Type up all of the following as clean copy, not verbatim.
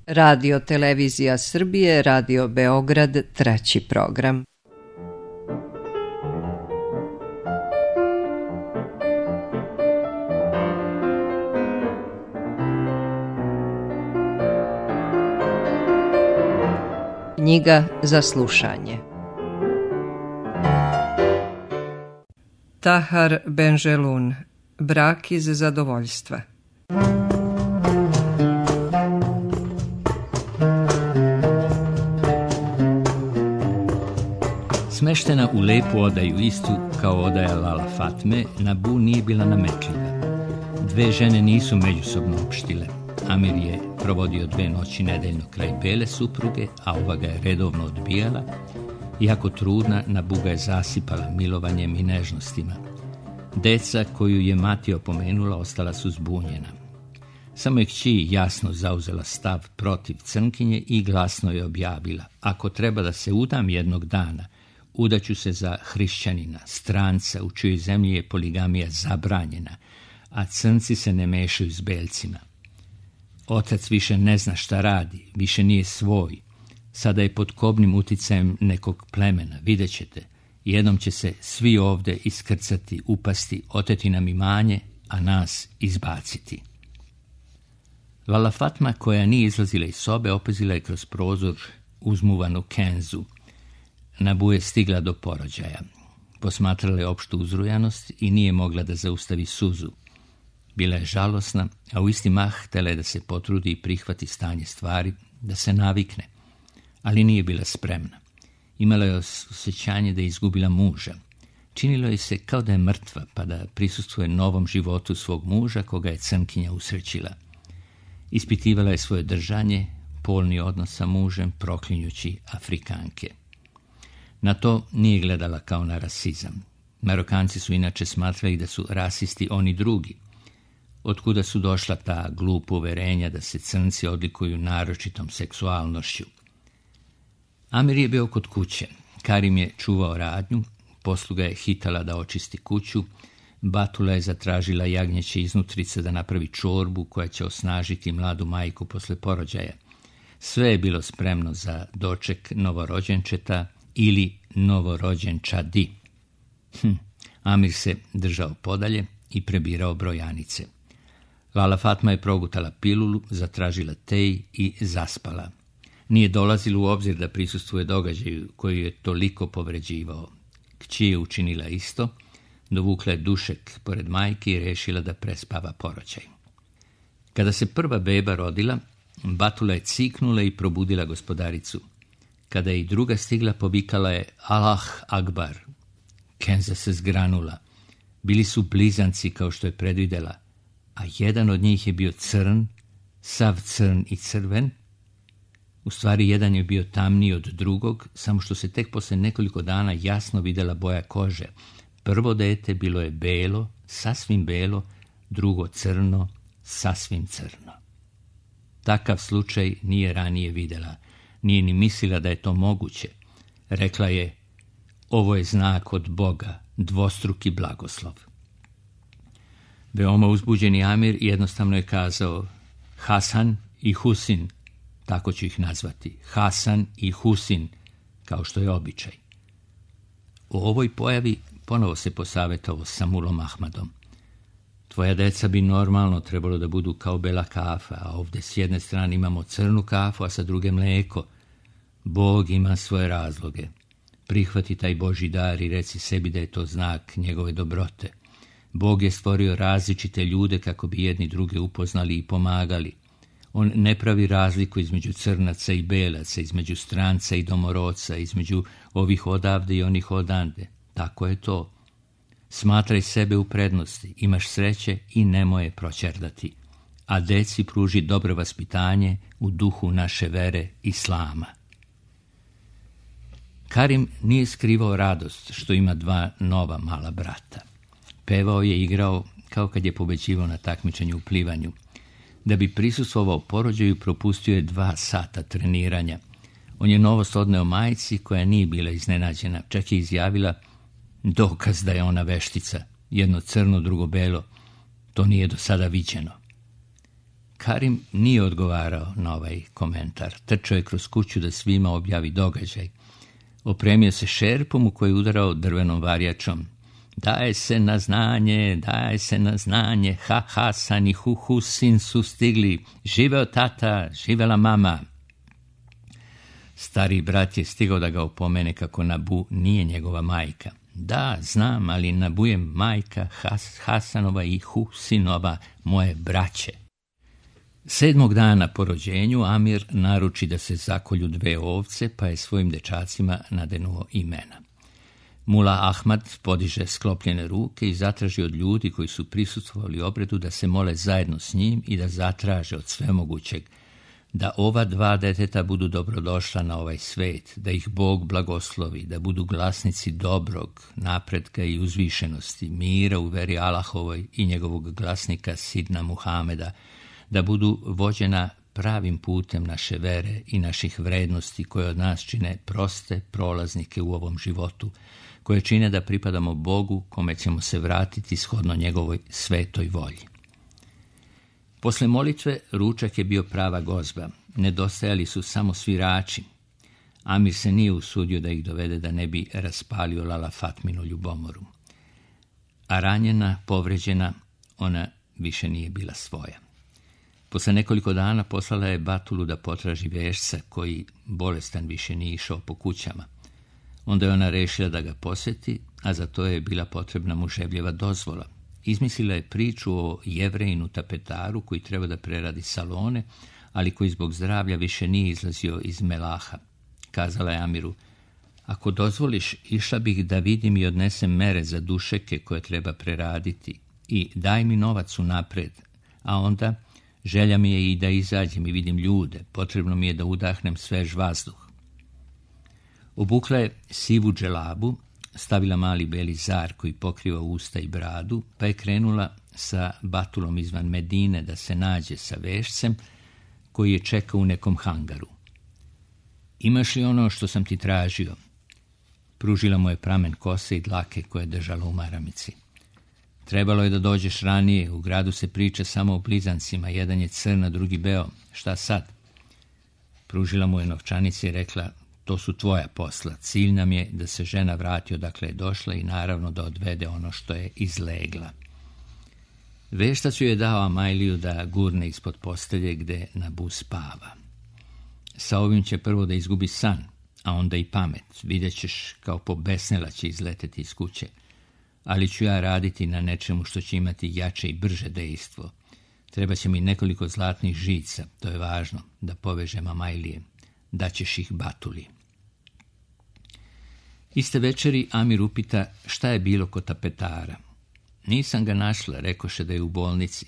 Radio Televizija Srbije, Radio Beograd, treći program. Knjiga za slušanje. Tahar Benjelun, Brak iz zadovoljstva. Smeštena u lepu odaju istu kao odaja Lala Fatme, Nabu nije bila nametljiva. Dve žene nisu međusobno opštile. Amir je provodio 2 noći nedeljno kraj bele supruge, a ova ga je redovno odbijala. Iako trudna, Nabu ga je zasipala milovanjem i nežnostima. Deca koju je mati opomenula ostala su zbunjena. Samo je kći jasno zauzela stav protiv crnkinje i glasno je objavila: ako treba da se udam jednog dana, udaću se za hrišćanina, stranca u čijoj zemlji je poligamija zabranjena, a crnci se ne mešaju s belcima. Otac više ne zna šta radi, više nije svoj. Sada je pod kobnim uticajem nekog plemena, vidjet ćete. Jednom će se svi ovde iskrcati, upasti, oteti nam imanje, a nas izbaciti. Lala Fatma, koja nije izlazila iz sobe, opazila je kroz prozor uzmuvanu Kenzu. Nabu je stigla do porođaja. Posmatrala je opštu uzrujanost i nije mogla da zaustavi suzu. Bila je žalosna, a u isti mah htjela je da se potrudi i prihvati stanje stvari, da se navikne. Ali nije bila spremna. Imala je osjećanje da je izgubila muža. Činilo je se kao da je mrtva, pa da prisustvuje novom životu svog muža, koga je crnkinja usrećila. Ispitivala je svoje držanje, polni odnos sa mužem, proklinjući Afrikanke. Na to nije gledala kao na rasizam. Marokanci su inače smatrali da su rasisti oni drugi. Otkuda su došla ta glupa uverenja da se crnci odlikuju naročitom seksualnošću. Amir je bio kod kuće. Karim je čuvao radnju, posluga je hitala da očisti kuću, Batula je zatražila jagnjeće iznutrice da napravi čorbu koja će osnažiti mladu majku posle porođaja. Sve je bilo spremno za doček novorođenčeta ili novorođenčadi. Amir se držao podalje i prebirao brojanice. Lala Fatma je progutala pilulu, zatražila tej i zaspala. Nije dolazilo u obzir da prisustvuje događaju koji je toliko povređivao. Kći je učinila isto, dovukla je dušek pored majke i rešila da prespava porođaj. Kada se prva beba rodila, Batula je ciknula i probudila gospodaricu. Kada je i druga stigla, povikala je Allah Akbar. Kenza se zgranula. Bili su blizanci kao što je predvidela, a jedan od njih je bio crn, sav crn i crven. U stvari, jedan je bio tamniji od drugog, samo što se tek posle nekoliko dana jasno videla boja kože. Prvo dete bilo je belo, sasvim belo, drugo crno, sasvim crno. Takav slučaj nije ranije videla. Nije ni mislila da je to moguće. Rekla je: ovo je znak od Boga, dvostruki blagoslov. Veoma uzbuđeni Amir jednostavno je kazao: Hasan i Husin, tako ću ih nazvati, Hasan i Husin, kao što je običaj. U ovoj pojavi ponovo se posavetovao sa mulom Ahmadom. Tvoja deca bi normalno trebalo da budu kao bela kafa, a ovdje s jedne strane imamo crnu kafu, a sa druge mleko. Bog ima svoje razloge. Prihvati taj Božji dar i reci sebi da je to znak njegove dobrote. Bog je stvorio različite ljude kako bi jedni druge upoznali i pomagali. On ne pravi razliku između crnaca i belaca, između stranca i domorodca, između ovih odavde i onih odande. Tako je to. Smatraj sebe u prednosti, imaš sreće i nemoj je proćerdati. A deci pruži dobro vaspitanje u duhu naše vere Islama. Karim nije skrivao radost što ima 2 nova mala brata. Pevao je i igrao kao kad je pobeđivao na takmičenju u plivanju. Da bi prisustvovao porođaju, propustio je 2 sata treniranja. On je novost odneo majci koja nije bila iznenađena. Čak je izjavila: dokaz da je ona veštica. Jedno crno, drugo belo. To nije do sada viđeno. Karim nije odgovarao na ovaj komentar. Trčao je kroz kuću da svima objavi događaj. Opremio se šerpom u koji je udarao drvenom varjačom. Daje se na znanje, daje se na znanje, ha Hasan i hu Husin su stigli, živeo tata, živela mama. Stari brat je stigao da ga opomene kako Nabu nije njegova majka. Da, znam, ali Nabu je majka Hasanova i Husinova, moje braće. 7. dana po rođenju Amir naruči da se zakolju 2 ovce, pa je svojim dečacima nadenuo imena. Mula Ahmad podiže sklopljene ruke i zatraži od ljudi koji su prisustvovali obredu da se mole zajedno s njim i da zatraže od svemogućeg da ova 2 deteta budu dobrodošla na ovaj svet, da ih Bog blagoslovi, da budu glasnici dobrog, napretka i uzvišenosti, mira u veri Allahovoj i njegovog glasnika Sidna Muhameda, da budu vođena pravim putem naše vere i naših vrednosti koje od nas čine proste prolaznike u ovom životu, koje čine da pripadamo Bogu kome ćemo se vratiti shodno njegovoj svetoj volji. Posle molitve ručak je bio prava gozba. Nedostajali su samo svirači. Amir se nije usudio da ih dovede da ne bi raspalio Lala Fatminu ljubomoru. A ranjena, povređena, ona više nije bila svoja. Posle nekoliko dana poslala je Batulu da potraži vešca koji bolestan više nije išao po kućama. Onda je ona rešila da ga poseti, a za to je bila potrebna muževljeva dozvola. Izmislila je priču o Jevrejinu tapetaru koji treba da preradi salone, ali koji zbog zdravlja više nije izlazio iz Melaha. Kazala je Amiru, ako dozvoliš, išla bih da vidim i odnesem mere za dušeke koje treba preraditi i daj mi novac unapred, a onda želja mi je i da izađem i vidim ljude, potrebno mi je da udahnem svež vazduh. Obukla je sivu dželabu, stavila mali beli zar koji pokriva usta i bradu, pa je krenula sa Batulom izvan Medine da se nađe sa vešcem koji je čekao u nekom hangaru. Imaš li ono što sam ti tražio? Pružila mu je pramen kose i dlake koje je držala u maramici. Trebalo je da dođeš ranije, u gradu se priča samo o blizancima, jedan je crn, a drugi beo. Šta sad? Pružila mu je novčanice i rekla, to su tvoja posla, cilj nam je da se žena vrati odakle je došla i naravno da odvede ono što je izlegla. Veštac ju je dao Amajliju da gurne ispod postelje gde Nabu spava. Sa ovim će prvo da izgubi san, a onda i pamet. Vidjet ćeš kao pobesnela će izleteti iz kuće. Ali ću ja raditi na nečemu što će imati jače i brže dejstvo. Treba će mi nekoliko zlatnih žica, to je važno, da povežem Amajlije. Daćeš ih Batuli. Iste večeri Amir upita šta je bilo kod tapetara. Nisam ga našla, rekoše da je u bolnici.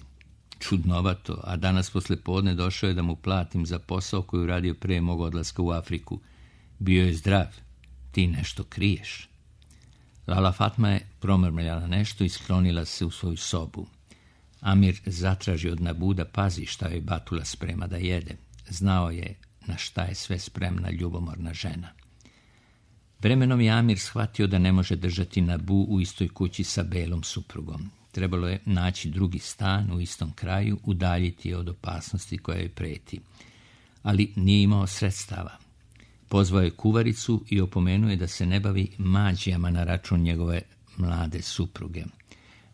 Čudnovato, a danas posle podne došao je da mu platim za posao koji uradio pre mog odlaska u Afriku. Bio je zdrav, ti nešto kriješ. Lala Fatma je promrmljala nešto i sklonila se u svoju sobu. Amir zatraži od Nabu da pazi šta joj Batula sprema da jede. Znao je na šta je sve spremna ljubomorna žena. Vremenom je Amir shvatio da ne može držati Nabu u istoj kući sa belom suprugom. Trebalo je naći drugi stan u istom kraju, udaljiti je od opasnosti koja joj preti. Ali nije imao sredstava. Pozvao je kuvaricu i opomenuo je da se ne bavi mađijama na račun njegove mlade supruge.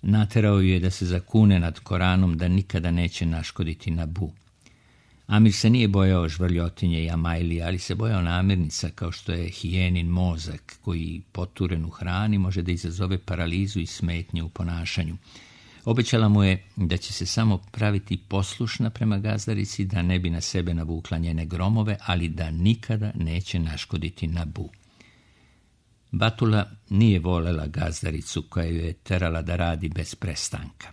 Naterao je da se zakune nad Koranom da nikada neće naškoditi Nabu. Amir se nije bojao žvrljotinje i Amajlije, ali se bojao namirnica kao što je hijenin mozak koji poturen u hrani može da izazove paralizu i smetnje u ponašanju. Obećala mu je da će se samo praviti poslušna prema gazdarici, da ne bi na sebe navukla njene gromove, ali da nikada neće naškoditi Nabu. Batula nije volela gazdaricu koja ju je terala da radi bez prestanka.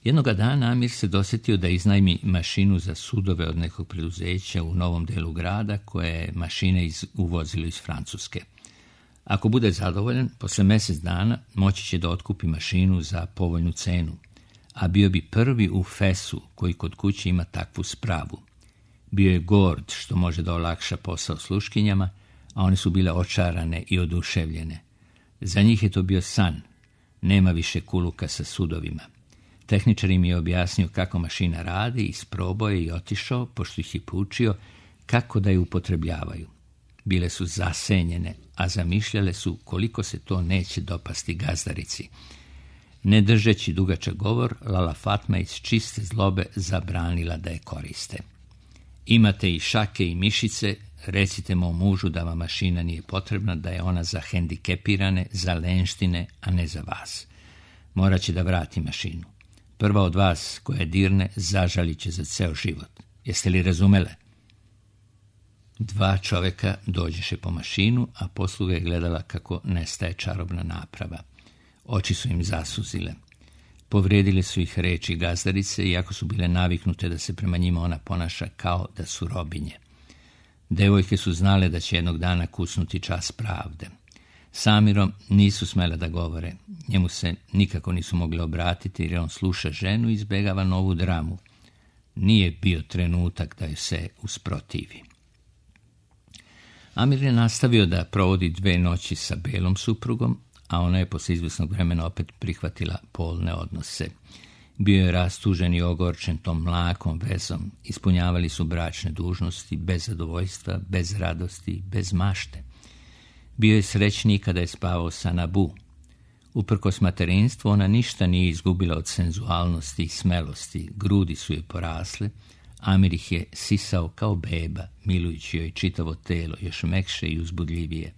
Jednoga dana Amir se dosjetio da iznajmi mašinu za sudove od nekog preduzeća u novom delu grada koje je mašine uvozilo iz Francuske. Ako bude zadovoljan, posle mjesec dana moći će da otkupi mašinu za povoljnu cenu, a bio bi prvi u Fesu koji kod kuće ima takvu spravu. Bio je gord što može da olakša posao sluškinjama, a one su bile očarane i oduševljene. Za njih je to bio san, nema više kuluka sa sudovima. Tehničar im je objasnio kako mašina radi, isprobao je i otišao, pošto ih je poučio kako da je upotrebljavaju. Bile su zasenjene, a zamišljale su koliko se to neće dopasti gazdarici. Ne držeći dugačak govor, Lala Fatma iz čiste zlobe zabranila da je koriste. Imate i šake i mišice, recite mom mužu da vam mašina nije potrebna, da je ona za hendikepirane, za lenštine, a ne za vas. Morat će da vrati mašinu. Prva od vas koja dirne zažalit će za ceo život. Jeste li razumele? 2 čoveka dođeše po mašinu, a posluga je gledala kako nestaje čarobna naprava. Oči su im zasuzile. Povredile su ih reči gazdarice, iako su bile naviknute da se prema njima ona ponaša kao da su robinje. Devojke su znale da će jednog dana kucnuti čas pravde. S Amirom nisu smele da govore. Njemu se nikako nisu mogli obratiti jer on sluša ženu i izbegava novu dramu. Nije bio trenutak da joj se usprotivi. Amir je nastavio da provodi 2 noći sa belom suprugom, a ona je posle izvesnog vremena opet prihvatila polne odnose. Bio je rastužen i ogorčen tom mlakom vezom. Ispunjavali su bračne dužnosti bez zadovoljstva, bez radosti, bez mašte. Bio je srećniji kada je spavao sa Nabu. Uprkos materinstvu, ona ništa nije izgubila od senzualnosti i smelosti. Grudi su joj porasle. Amir ih je sisao kao beba, milujući joj čitavo telo, još mekše i uzbudljivije.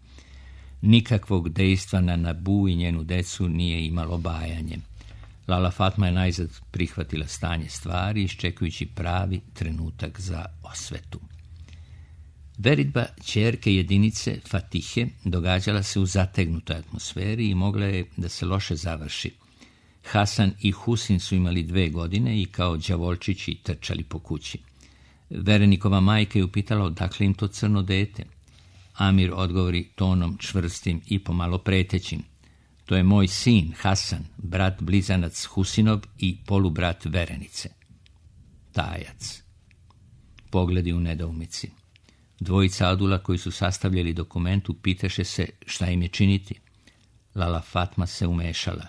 Nikakvog dejstva na Nabu i njenu decu nije imalo bajanje. Lala Fatma je najzad prihvatila stanje stvari, iščekujući pravi trenutak za osvetu. Veritba ćerke jedinice Fatihe događala se u zategnutoj atmosferi i mogla je da se loše završi. Hasan i Husin su imali 2 godine i kao đavolčići trčali po kući. Verenikova majka je upitala odakle im to crno dete. Amir odgovori tonom čvrstim i pomalo pretećim. To je moj sin, Hasan, brat blizanac Husinov i polubrat Verenice. Tajac. Pogledi u nedoumici. 2 adula koji su sastavljali dokument upitaše se šta im je činiti. Lala Fatma se umešala.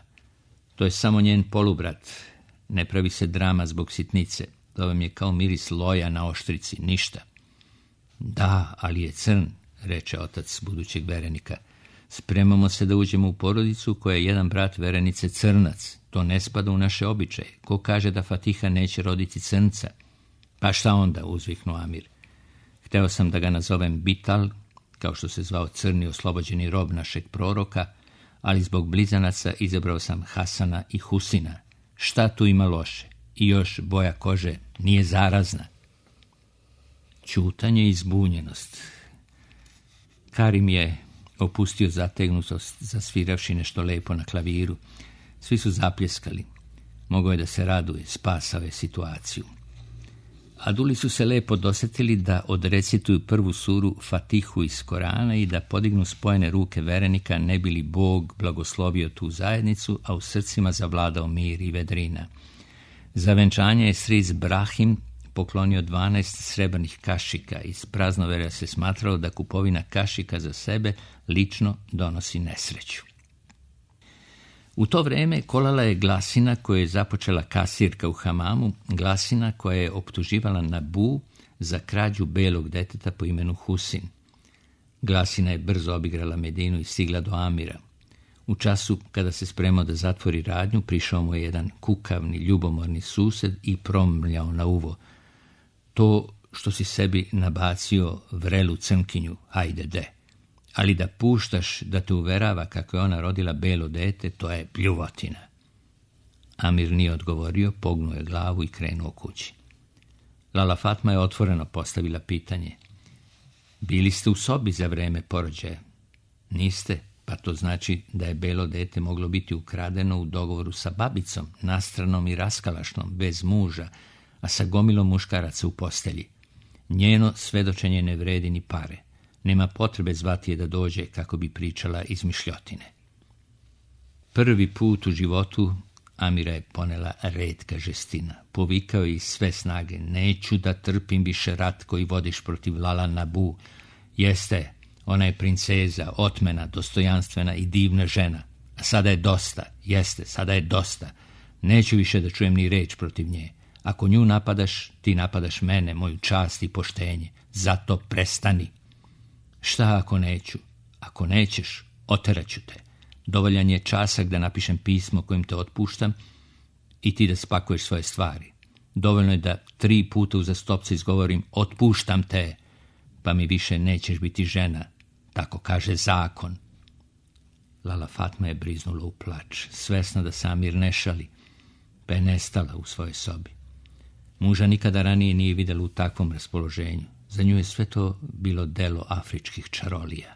To je samo njen polubrat. Ne pravi se drama zbog sitnice. To vam je kao miris loja na oštrici, ništa. Da, ali je crn, reče otac budućeg verenika. Spremamo se da uđemo u porodicu koja je jedan brat Verenice crnac. To ne spada u naše običaje. Ko kaže da Fatiha neće roditi crnca? Pa šta onda, uzviknuo Amir. Hteo sam da ga nazovem Bital, kao što se zvao crni oslobođeni rob našeg proroka, ali zbog blizanaca izabrao sam Hasana i Husina. Šta tu ima loše? I još boja kože nije zarazna. Ćutanje i zbunjenost. Karim je opustio zategnutost, zasviravši nešto lepo na klaviru. Svi su zapljeskali. Mogao je da se raduje, spasao je situaciju. Aduli su se lepo dosetili da odrecituju prvu suru Fatihu iz Korana i da podignu spojene ruke verenika, ne bi li Bog blagoslovio tu zajednicu, a u srcima zavladao mir i vedrina. Za venčanje je stric Brahim poklonio 12 srebrnih kašika. Iz praznoverja se smatralo da kupovina kašika za sebe lično donosi nesreću. U to vreme kolala je glasina koju je započela kasirka u hamamu, glasina koja je optuživala Nabu za krađu belog deteta po imenu Husin. Glasina je brzo obigrala Medinu i stigla do Amira. U času kada se spremao da zatvori radnju, prišao mu je jedan kukavni, ljubomorni sused i promrljao na uvo. To što si sebi nabacio vrelu crnkinju, hajde de. Ali da puštaš da te uverava kako je ona rodila belo dete, to je pljuvotina. Amir nije odgovorio, pognuo je glavu i krenuo kući. Lala Fatma je otvoreno postavila pitanje. Bili ste u sobi za vreme porođaja? Niste, pa to znači da je belo dete moglo biti ukradeno u dogovoru sa babicom, nastranom i raskalašnom, bez muža, a sa gomilom muškaraca u postelji. Njeno svedočenje ne vredi ni pare. Nema potrebe zvati je da dođe kako bi pričala izmišljotine. Prvi put u životu Amira je ponela retka žestina. Povikao je iz sve snage. Neću da trpim više rat koji vodiš protiv Lala Nabu. Jeste, ona je princeza, otmena, dostojanstvena i divna žena. A sada je dosta. Jeste, sada je dosta. Neću više da čujem ni reč protiv nje. Ako nju napadaš, ti napadaš mene, moju čast i poštenje. Zato prestani. Šta ako neću? Ako nećeš, oteraću te. Dovoljan je časak da napišem pismo kojim te otpuštam i ti da spakuješ svoje stvari. Dovoljno je da 3 puta uzastopce izgovorim otpuštam te, pa mi više nećeš biti žena. Tako kaže zakon. Lala Fatma je briznula u plač, svesna da Samir ne šali, pa je nestala u svojoj sobi. Muža nikada ranije nije vidjela u takvom raspoloženju. Za nju je sve to bilo delo afričkih čarolija.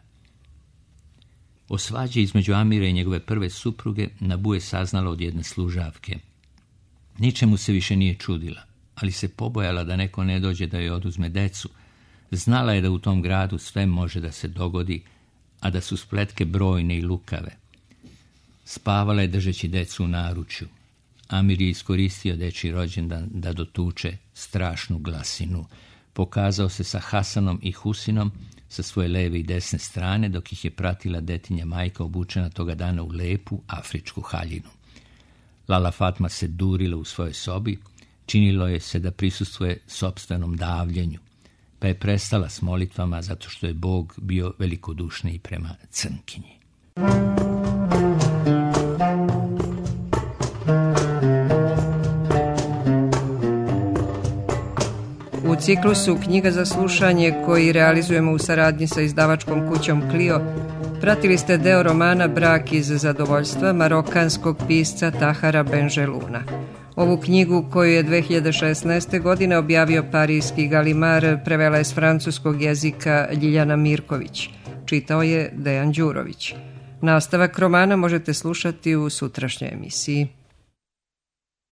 O svađi između Amira i njegove prve supruge Nabu je saznala od jedne služavke. Ničemu se više nije čudila, ali se pobojala da neko ne dođe da joj oduzme decu. Znala je da u tom gradu sve može da se dogodi, a da su spletke brojne i lukave. Spavala je držeći decu u naručju. Amir je iskoristio dečji rođendan da dotuče strašnu glasinu. Pokazao se sa Hasanom i Husinom sa svoje leve i desne strane, dok ih je pratila detinja majka obučena toga dana u lepu afričku haljinu. Lala Fatma se durila u svojoj sobi, činilo je se da prisustvuje sopstvenom davljenju, pa je prestala s molitvama zato što je Bog bio velikodušniji prema crnkinji. U ciklusu Knjiga za slušanje koji realizujemo u saradnji sa izdavačkom kućom Clio, pratili ste deo romana Brak iz zadovoljstva marokanskog pisca Tahara Benjeluna. Ovu knjigu, koju je 2016. godine objavio parijski Galimar, prevela je s francuskog jezika Ljiljana Mirković. Čitao je Dejan Đurović. Nastavak romana možete slušati u sutrašnjoj emisiji.